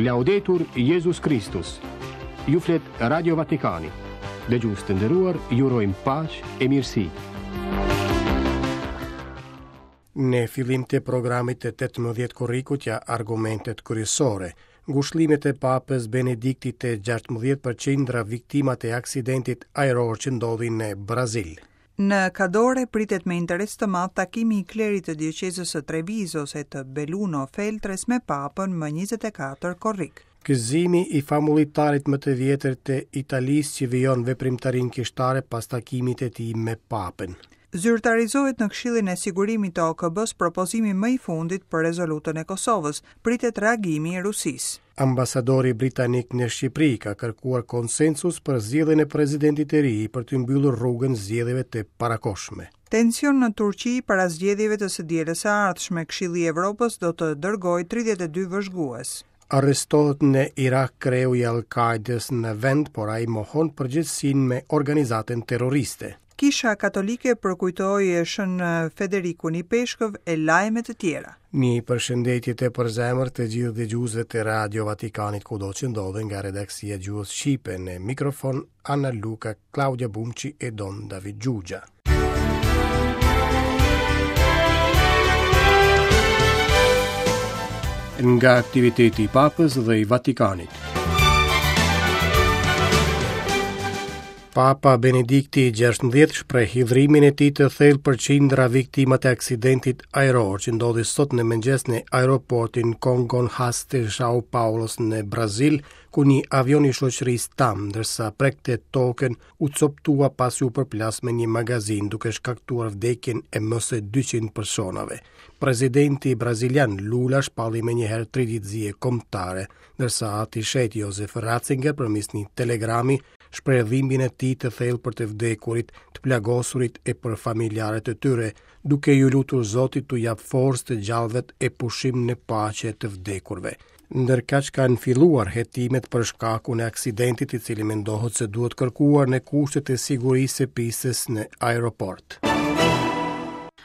Laudetur Jezus Kristus. Ju flet Radio Vatikani. Dëgjues të nderuar, ju urojmë paqe e mirësi. Në fillim të programit të 18 korrikut ja argumentet kryesore. Ngushëllimet e Papës Benediktit të 16 për qindra viktimat e aksidentit ajror që ndodhi në Brazil. Në Kadore pritet me interes të madh takimi i klerit të dioqezës së Trevisos e të Belluno Feltres me Papën më 24 korrik. Gëzimi i famullitarit më të vjetër të Italisë që vijon veprimtarinë kishtare pas takimit të tij me Papën. Zyrtarizohet në Këshillin e Sigurimit të OKB-së propozimi më i fundit për rezolutën e Kosovës, pritet reagimi i Rusisë. Ambasadori britanik në Shqipëri ka kërkuar konsensus për zgjedhjen e presidentit të ri për të mbyllur rrugën zgjedhjeve të parakohshme. Tension në Turqi para zgjedhjeve të së dielës së ardhshme, Këshilli i Evropës do të dërgojë 32 vëzhgues. Arrestohet në Irak kreu i Al-Qaidës në vend, por ai mohon përgjegjësinë me organizatën terroriste. Kisha Katolike përkujtoi Shën Federikun Ipeshkëv e lajme të tjera. Një përshëndetje të përzemërt të gjithë dëgjuesve të Radio Vatikanit kudo që ndodhen nga redaksia e gjuhës shqipe në mikrofon Anna Luca, Claudia Bumçi e Don David Xhuxha. Nga aktiviteti i Papës dhe i Vatikanit. Papa Benedikti i 16 shpreh hidhrimin e tij të thellë për qindra viktimat e aksidentit ajror që ndodhi sot në mëngjes në aeroportin Congonhas të São Paulos në Brazil, ku një avion i shoqërisë TAM, ndërsa prekte tokën, u copëtua pasi u përplas me një magazinë duke shkaktuar vdekjen e më se 200 personave. Presidenti brazilian Lula shpalli menjëherë tri ditë zie kombëtare, ndërsa ati i shenjtë Josef Ratzinger përmes një telegrami shpreh dhimbjen e tij të thellë për të vdekurit, të plagosurit e për familjarët e tyre, duke iu lutur Zotit t'u japë forcë të gjallëve e pushim në paqe të vdekurve. Ndërkaq kanë filluar hetimet për shkakun e aksidentit i cili mendohet se duhet kërkuar në kushtet e sigurisë së pistës në aeroport.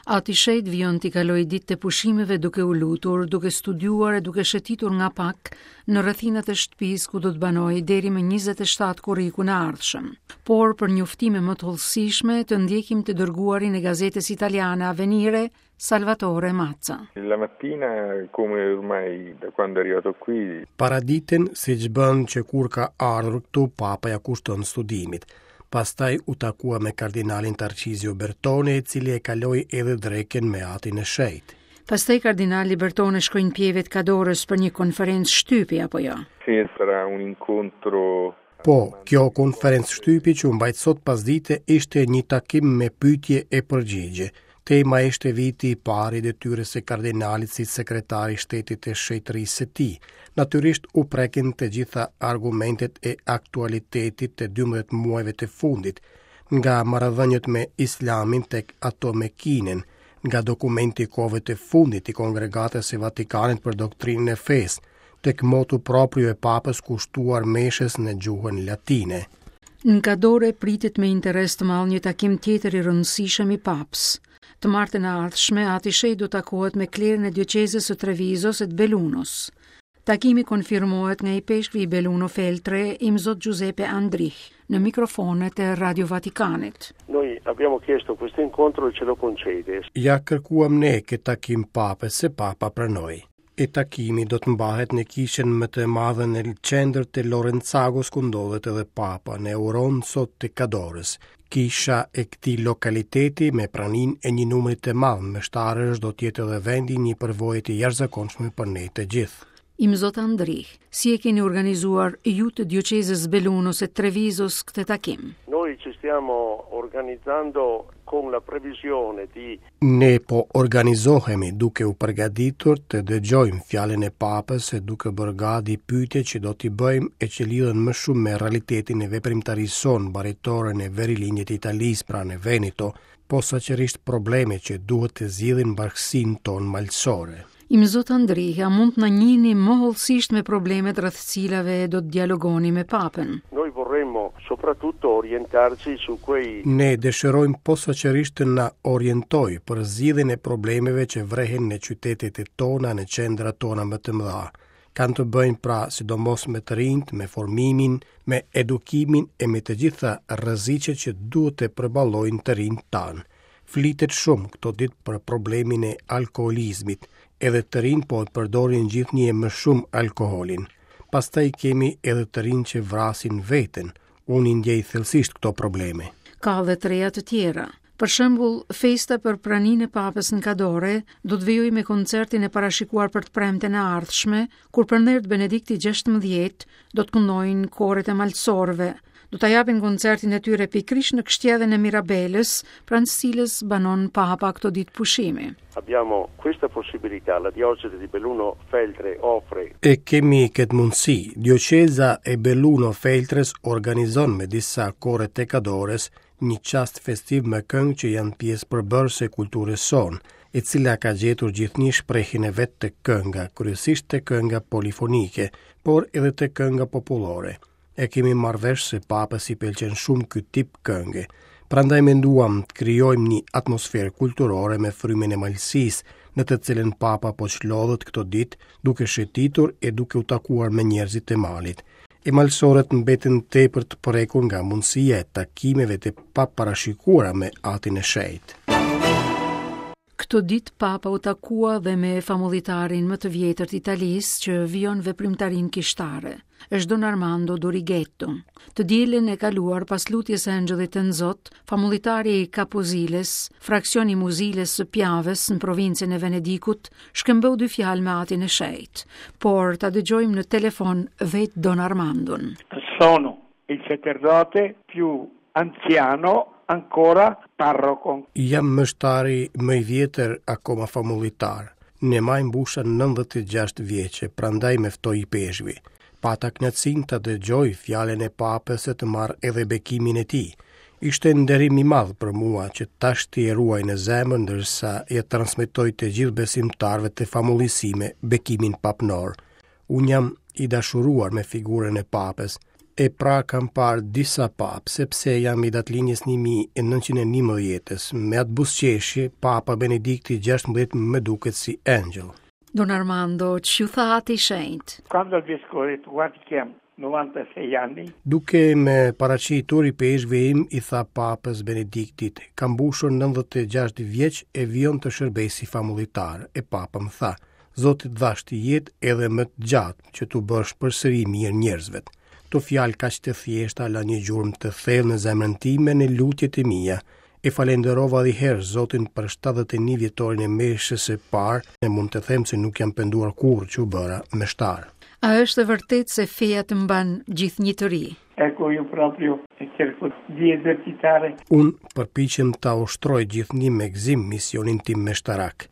Ati i Shenjtë vijon t'i kalojë ditët e pushimeve duke u lutur, duke studiuar e duke shëtitur nga pak në rrethinat e shtëpisë ku do të banojë deri më 27 korrikun e ardhshëm. Por për njoftime më të hollësishme të ndjekim të dërguarin e gazetës italiane Avvenire, Salvatore Mazza. La mattina, come ormai da quando è arrivato qui... Paraditen, siç bën që kur ka ardhur këtu, papa ia kushton studimit. Pastaj u takua me kardinalin Tarcizio Bertone, i cili e kaloi edhe drekën me atin e shenjtë. Pastaj kardinali Bertone shkoi në Pieve të Kadorës për një konferencë shtypi, apo jo? Sì, sarà un incontro Po, kjo konferencë shtypi që u mbajt sot pasdite ishte një takim me pyetje e përgjigje. Tema ishte viti i parë i detyrës së kardinalit si sekretar i shtetit të shenjtërisë së tij. Natyrisht u prekën të gjitha argumentet e aktualitetit të 12 muajve të fundit, nga marrëdhëniet me Islamin tek ato me Kinën, nga dokumenti i kohëve të fundit i Kongregatës së Vatikanit për doktrinën e fesë, tek motu proprio e Papës kushtuar meshës në gjuhën latine. Në Kadore pritet me interes të madh një takim tjetër i rëndësishëm i Papës. Të martën e ardhshme, Ati i Shenjtë do takohet me klerin e dioqezës së Trevisos e të Bellunos. Takimi konfirmohet nga ipeshkvi i Belluno Feltre, Imzot Giuseppe Andrich, në mikrofonet e Radio Vatikanit. Noi abbiamo chiesto questo incontro e ce lo concede. Ia kërkuam ne këtë takim Papës e Papa pranoi. E takimi do të mbahet në kishën më të madhe në qendër të Lorenzagos ku ndodhet edhe Papa në Auronzo të Kadorës. Kisha e këtij lokaliteti me praninë e një numri të madh meshtarësh do të jetë edhe vendi i një përvoje të jashtëzakonshme për ne të gjithë. Imzot Andrich, si e keni organizuar ju të dioqezës Bellunos e Trevizos këtë takim? Noi ci stiamo organizzando con la previsione di Ne po organizohemi duke u përgatitur të dëgjojmë fjalën e Papës e duke bërë gati pyetjet që do t'i bëjmë e që lidhen më shumë me realitetin e veprimtarisë sonë baritore në verilindje të Italisë, pra në Veneto, posaçërisht probleme që duhet të zgjidhin bashkësinë tonë malësore. Imzot Andrich, a mund të na njihni më hollësisht me problemet rreth cilave do të dialogoni me Papën? Noi vorremmo soprattutto orientarci su quei Ne dëshirojmë posaçërisht të na orientojë për zgjidhjen e problemeve që vrehen në qytetet e tona, në qendrat tona më të mëdha. Kanë të bëjnë pra sidomos me të rinjtë, me formimin, me edukimin e me të gjitha rreziqet që duhet të përballojnë të rinjtë tanë. Flitet shumë këto ditë për problemin e alkoolizmit, edhe të rinjtë po e përdorin gjithnjë e më shumë alkoolin. Pastaj kemi edhe të rinj që vrasin veten. Unë i ndjej thellësisht këto probleme. Ka dhe të reja të tjera. Për shembull, festa për praninë e Papës në Kadore do të vijojë me koncertin e parashikuar për të premten e ardhshme, kur për nder të Benediktit XVI do të këndojnë koret e malësorëve. Do ta japin koncertin e tyre pikërisht në kështjellën e Mirabelës, pranë së cilës banon Papa këto ditë pushimi. Abbiamo questa possibilità, la diocesi di Belluno Feltre offre. E kemi këtë mundësi. Dioqeza e Belluno Feltres organizon me disa kore të Kadores një çast festiv me këngë që janë pjesë përbërëse e kulturës sonë, e cila ka gjetur gjithnjë shprehjen e vet te kënga, kryesisht te kënga polifonike, por edhe te kënga popullore. E kemi marrë vesh se papës i pëlqen shumë ky tip kënge. Prandaj menduam të krijojmë një atmosferë kulturore me frymën e malësisë, në të cilën papa po çlodhet këto ditë duke shëtitur e duke u takuar me njerëzit e malit. E malësorët mbeten tepër të prekur nga mundësia e takimeve të paparashikuara me Atin e Shenjtë. Këto ditë Papa u takua dhe me famullitarin më të vjetër të Italisë që vijon veprimtarinë kishtare. Është Don Armando Dorighetto. Të dielën e kaluar pas lutjes së Engjëllit të Tënzot, famullitari i Caposiles, fraksion i Muziles së Pjaves në provincën e Venedikut, shkëmbeu dy fjalë me Atin e Shenjtë, por ta dëgjojmë në telefon vetë Don Armandon. Sono il sacerdote più anziano ancora parroco. Jam meshtari më i vjetër akoma famullitar. Në maj mbusha 96 vjeçe, prandaj më ftoi ipeshkvi. Pata kënaqësinë ta dëgjoj fjalën e Papës e të marr edhe bekimin e tij. Ishte nderim i madh për mua që tashti e ruaj në zemër ndërsa ia transmetoj të gjithë besimtarëve të famullisë sime bekimin papnor. Unë jam i dashuruar me figurën e Papës, e pra kam parë disa papë, sepse jam i datëlindjes 1911-ës. Me atë buzëqeshje, Papa Benedikti 16 më duket si engjëll. Don Armando, ç'ju tha Ati i Shenjtë? Quando il vescovo ha detto, guardi che ha 96 anni. Duke më paraqitur ipeshkvi im i tha Papës Benediktit, kam mbushur 96 vjeç e vijoj të shërbej si famullitar, e Papa më tha, Zoti të dhashtë jetë edhe më të gjatë që t'u bësh përsëri mirë njerëzve. Këto fjalë kaq të thjeshta lanë një gjurmë të thellë në zemrën time në lutjet e mia. E falenderova edhe herë Zotin për 71 vjetorin e meshës së parë e mund të them se nuk jam penduar kurrë që u bëra meshtar. A është e vërtetë se feja të mban gjithnjë të ri? Ecco, io proprio cerco di esercitare. Unë përpiqem ta ushtroj gjithnjë me gëzim misionin tim meshtarak.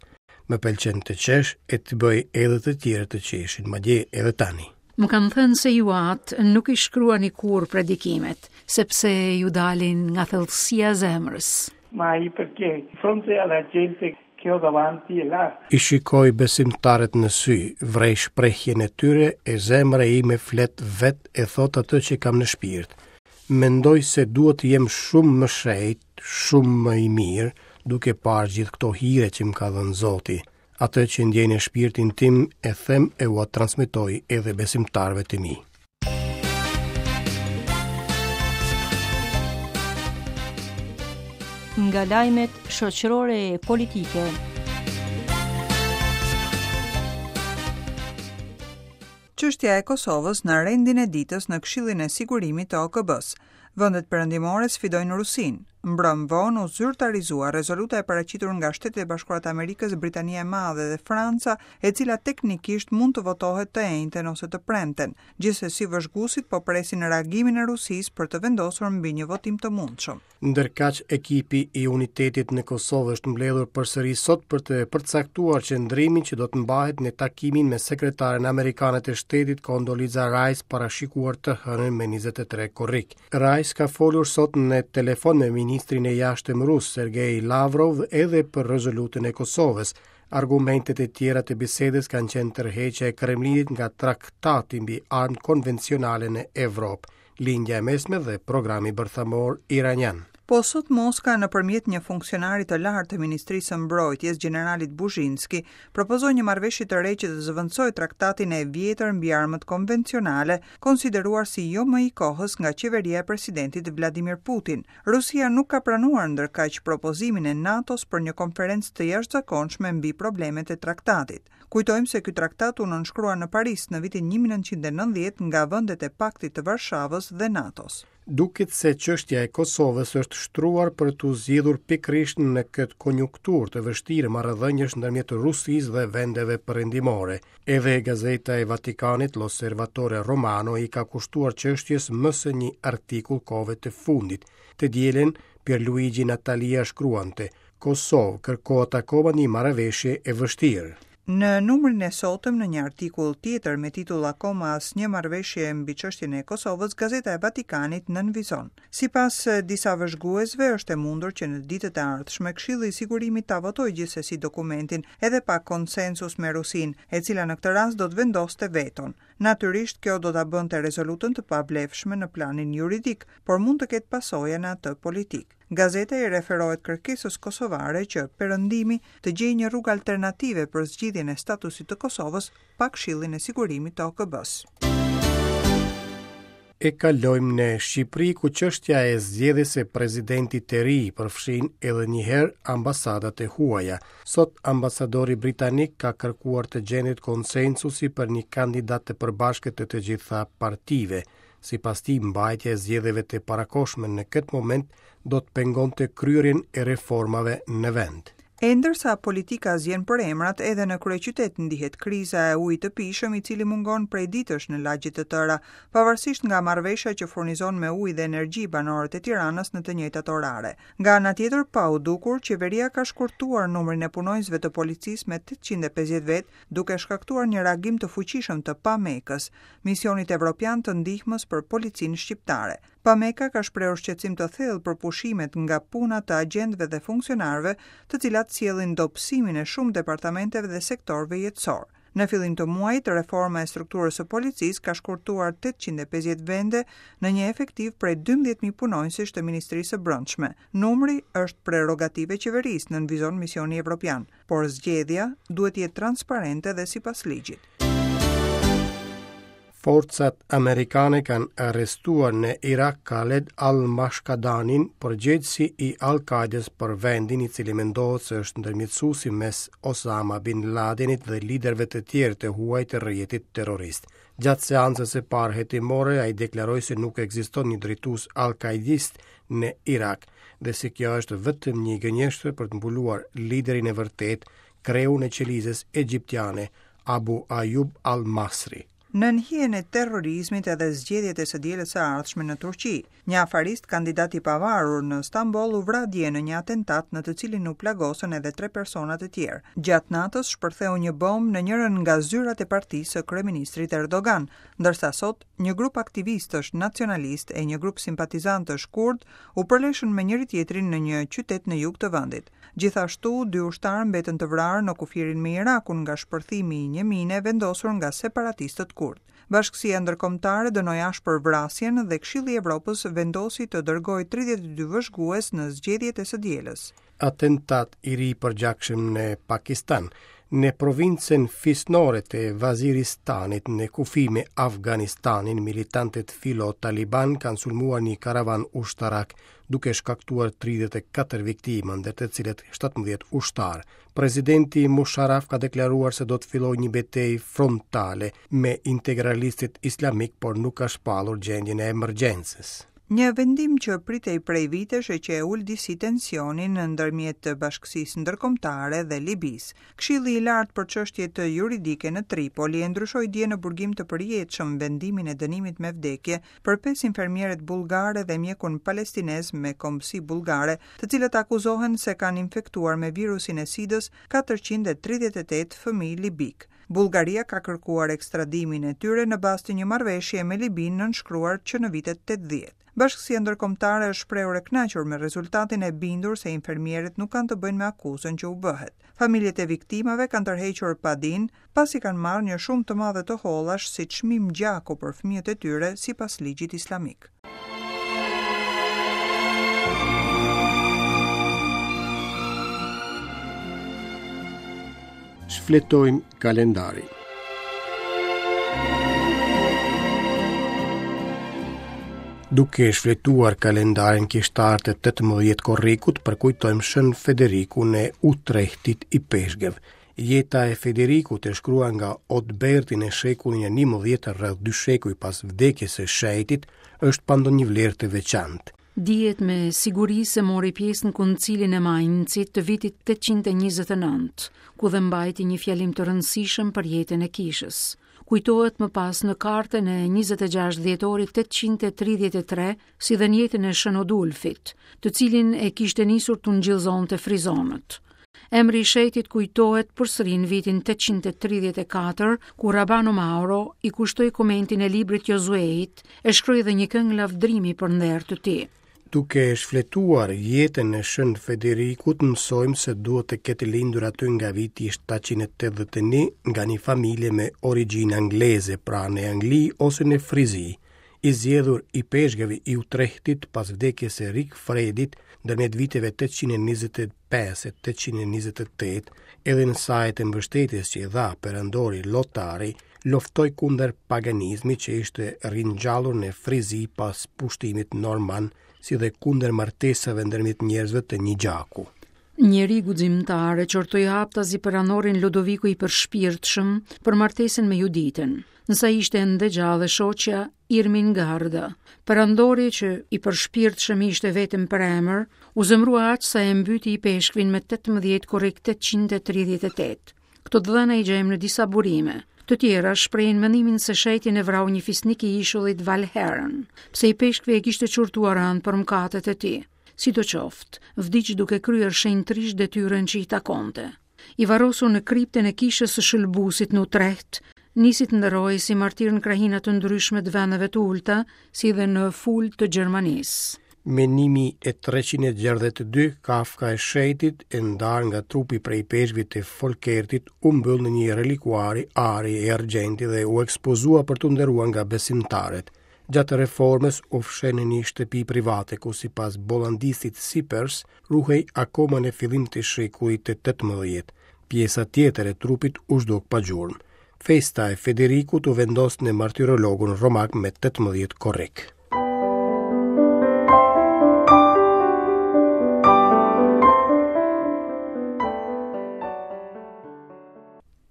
Më pëlqen të qesh e të bëj edhe të tjerët të qeshin, madje edhe tani. Më kanë thënë se ju atë nuk i shkruani kurrë predikimet, sepse ju dalin nga thellësia e zemrës. Mai perché di fronte alla gente che ho davanti è là. I shikoj besimtarët në sy, vrej shprehjen e tyre e zemra ime flet vetë e thotë atë që kam në shpirt. Mendoj se duhet të jem shumë më shenjt, shumë më i mirë, duke parë gjithë këto hire që më ka dhënë Zoti. Atë që ndjej në shpirtin tim e them e ua transmetoj edhe besimtarëve të mi. Nga lajmet shoqërore e politike. Çështja e Kosovës në rendin e ditës në Këshillin e Sigurimit të OKB-së. Vendet perëndimore sfidojnë Rusinë. Mbrëmë vonë u zyrtarizua rezoluta e paraqitur nga Shtetet e Bashkuara të Amerikës, Britania e Madhe dhe Franca, e cila teknikisht mund të votohet të enjten ose të premten. Gjithsesi vëzhguesit po presin reagimin e Rusisë për të vendosur mbi një votim të mundshëm. Ndërkaq, ekipi i unitetit në Kosovë është mbledhur përsëri sot për të përcaktuar qëndrimin që do të mbahet në takimin me sekretaren amerikane të shtetit Condoleezza Rice parashikuar të hënën me 23 korrik. Rice ka folur sot në telefon me ministrin e jashtëm rus Sergei Lavrov edhe për rezolutën e Kosovës. Argumentet e tjera të bisedës kanë qenë tërheqja e Kremlinit nga traktati mbi armët konvencionale në Evropë. Lindja e Mesme dhe programi bërthamor iranian. Po sot Moska nëpërmjet një funksionari të lartë të Ministrisë së Mbrojtjes, gjeneralit Buzhinski, propozoi një marrëveshje të re që të zëvendësojë traktatin e vjetër mbi armët konvencionale, konsideruar si jo më i kohës nga qeveria e presidentit Vladimir Putin. Rusia nuk ka pranuar ndërkaq propozimin e NATO-s për një konferencë të jashtëzakonshme mbi problemet e traktatit. Kujtojmë se ky traktat u nënshkrua në Paris në vitin 1990 nga vendet e Paktit të Varshavës dhe NATO-s. Duket se çështja e Kosovës është shtruar për t'u zgjidhur pikërisht në këtë konjunkturë të vështirë marrëdhëniesh ndërmjet Rusisë dhe vendeve perëndimore. Edhe gazeta e Vatikanit L'Osservatore Romano i ka kushtuar çështjes më se një artikull kohëve të fundit. Të dielën, Pierluigi Natalia shkruante, Kosovë, kërkohet akoma një marrëveshje e vështirë. Në numrin e sotëm, në një artikull tjetër me titull Akoma asnjë marrëveshje mbi çështjen e Kosovës, Gazeta e Vatikanit nënvizon. Sipas disa vëzhguesve, është e mundur që në ditët e ardhshme Këshilli i Sigurimit ta votojë gjithsesi dokumentin edhe pa konsensus me Rusinë, e cila në këtë rast do të vendoste veton. Natyrisht, kjo do ta bënte rezolutën të pavlefshme në planin juridik, por mund të ketë pasoja në atë politik. Gazeta i referohet kërkesës kosovare që Perëndimi të gjejë një rrugë alternative për zgjidhjen e statusit të Kosovës pa Këshillin e Sigurimit të OKB-së. E kalojmë në Shqipëri ku çështja e zgjedhjes së presidentit të ri përfshin edhe një herë ambasadat e huaja. Sot ambasadori britanik ka kërkuar të gjendet konsensusi për një kandidat të përbashkët të të gjitha partive. Sipas tij, mbajtja e zgjedhjeve të parakohshme në këtë moment do të pengonte kryerjen e reformave në vend. E ndërsa politika zien për emrat, edhe në kryeqytet ndihet kriza e ujit të pijshëm i cili mungon prej ditësh në lagje të tëra, pavarësisht nga marrëveshja që furnizon me ujë dhe energji banorët e Tiranës në të njëjtat orare. Nga ana tjetër, pa u dukur, qeveria ka shkurtuar numrin e punonjësve të policisë me 850 vetë, duke shkaktuar një reagim të fuqishëm të PAMEK-ës, misionit evropian të ndihmës për policinë shqiptare. PAMEK-a ka shprehur shqetësim të thellë për pushimet nga puna të agjentëve dhe funksionarëve, të cilat sjellin dobësimin e shumë departamenteve dhe sektorëve jetësorë. Në fillim të muajit, reforma e strukturës së policisë ka shkurtuar 850 vende në një efektiv prej 12.000 punonjësish të Ministrisë së Brendshme. Numri është prerogativë e qeverisë, nënvizon misioni evropian. por zgjedhja duhet të jetë transparente dhe sipas ligjit. Forcat amerikane kanë arrestuar në Irak Khaled al-Mashkadanin, përgjegjësi i Al-Qaidës për vendin i cili mendohet se është ndërmjetësuesi mes Osama bin Ladenit dhe liderëve të tjerë të huaj të rrjetit terrorist. Gjatë seancës së parë hetimore, ai deklaroi se nuk ekziston një drejtues al-Qaidist në Irak dhe se kjo është vetëm një gënjeshtër për të mbuluar liderin e vërtetë, kreun e qelizës egjiptiane, Abu Ayub al-Masri. Nën hijen e terrorizmit edhe zgjedhjet e së dielës së ardhshme në Turqi. Një afarist kandidat i pavarur në Stamboll u vra dje në një atentat në të cilin u plagosën edhe tre persona të tjerë. Gjatë natës shpërtheu një bombë në njërën nga zyrat e partisë së kryeministrit Erdogan, ndërsa sot një grup aktivistësh nacionalistë e një grup simpatizantësh kurdë u përleshën me njëri-tjetrin në një qytet në jug të vendit. Gjithashtu, dy ushtarë mbetën të vrarë në kufirin me Irakun nga shpërthimi i një mine vendosur nga separatistët kurdë. Bashkësia ndërkombëtare dënoi ashpër vrasjen dhe Këshilli i Evropës vendosi të dërgojë 32 vëzhgues në zgjedhjet e së dielës. Atentat i ri i përgjakshëm në Pakistan, në provincën fisnore të Vaziristanit në kufi me Afganistanin, militantët filo-taliban kanë sulmuar një karavan ushtarak, duke shkaktuar 34 viktima, ndër të cilët 17 ushtarë. Presidenti Musharraf ka deklaruar se do të fillojë një betejë frontale me integralistët islamikë, por nuk ka shpallur gjendjen e emergjencës. Një vendim që pritej prej vitesh e që e ul disi tensionin ndërmjet bashkësisë ndërkombëtare dhe Libisë. Këshilli i Lartë për Çështjet Juridike në Tripoli e ndryshoi dje në burgim të përjetshëm vendimin e dënimit me vdekje për pesë infermieret bullgare dhe mjekun palestinez me kombësi bullgare, të cilët akuzohen se kanë infektuar me virusin e SIDës 438 fëmijë libikë. Bullgaria ka kërkuar ekstradimin e tyre në bazë të një marrëveshjeje me Libinë nënshkruar që në vitet 80. Bashkësia ndërkombëtare është shprehur e kënaqur me rezultatin e bindur se infermieret nuk kanë të bëjnë me akuzën që u bëhet. Familjet e viktimave kanë tërhequr padinë, pasi kanë marrë një shumë të madhe të hollash si çmim gjaku për fëmijët e tyre sipas ligjit islamik. Shfletojmë kalendarin. Duke shfletuar kalendarin kishtar të 18 korrikut, përkujtojmë Shën Federikun e Utrehtit ipeshkëv. Jeta e Federikut e shkruar nga Otberti në shekullin e 11 rreth dy shekuj pas vdekjes së shenjtit, është pa ndonjë vlerë të veçantë. Dihet me siguri se mori pjesë në Koncilin e Maincit të vitit 829, ku dhe mbajti një fjalim të rëndësishëm për jetën e kishës. Kujtohet më pas në kartën e 26 dhjetorit 833, si dhe në jetën e Shën Odulfit, të cilin e kishte nisur të ungjillëzonte frizonët. Emri i shenjtit kujtohet përsëri në vitin 834, kur Rabano Mauro i kushtoi komentin e librit Jozueit e shkroi dhe një këngë lavdërimi për nder të tij. Duke shfletuar jetën e Shën Federikut, mësojmë se duhet të ketë lindur aty nga viti 781 nga një familje me origjinë angleze, pra në Angli ose në Frizi. I zgjedhur ipeshkëv i Utrehtit pas vdekjes së Rikfredit ndërmjet viteve 825 e 828, edhe në saje të mbështetjes që i dha perandori Lotari, luftoi kundër paganizmit që ishte ringjallur në Frizi pas pushtimit norman, si dhe kundër martesave ndërmjet njerëzve të një gjaku. Njeri guximtar e qortoi haptazi perandorin Ludoviku i përshpirtshëm për martesën me Juditën. Në sa ishte ende gjallë e shoqja Irmingarda. Perandori që i përshpirtshëm ishte vetëm për emër, u zemërua aq sa e mbyti ipeshkvin me 18 korrik 838. Këto të dhëna i gjejmë në disa burime. Të tjera shprehin mendimin se shenjtin e vrau një fisnik i ishullit Valheren, pse ipeshkvi e kishte qortuar rëndë për mëkatet e tij. Sidoqoftë, vdiq duke kryer shenjtërisht detyrën që i takonte. I varrosur në kriptën e kishës së Shëlbuesit në Utrecht, nisi të nderohej si martir në krahina të ndryshme të vendeve të ulëta, si dhe në Fulda të Gjermanisë. Më 1362, kafka e shenjtit, e ndarë nga trupi prej ipeshkvit të Folkertit, u mbyll në një relikuari ari e argjendi dhe u ekspozua për t'u nderuar nga besimtarët. Gjatë reformës u fsheh në një shtëpi private ku sipas bollandistit Sipers ruhej akoma në fillim të shekullit të 18. Pjesa tjetër e trupit u zhduk pa gjurmë. Festa e Federikut u vendos në martirologun romak me 18 korrik.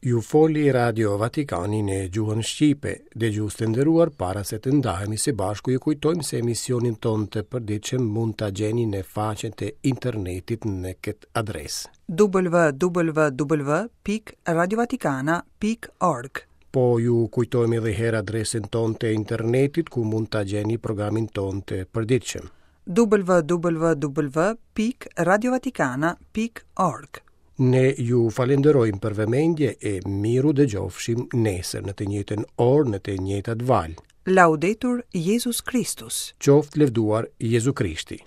Ju foli Radio Vatikani në gjuhën shqipe. Dëgjues të nderuar, para se të ndahemi së bashku, ju kujtojmë se emisionin tonë të përditshëm mund ta gjeni në faqen e internetit në këtë adresë. www.radiovatikana.org Po ju kujtojmë edhe herë adresën tonë të internetit ku mund ta gjeni programin tonë të përditshëm. www.radiovatikana.org Ne ju falenderojmë për vëmendje e mirudëgjofshim nesër në të njëjtën orë në të njëjtat valë. Laudetur Jezus Kristus. Qoftë lëvduar Jezu Krishti.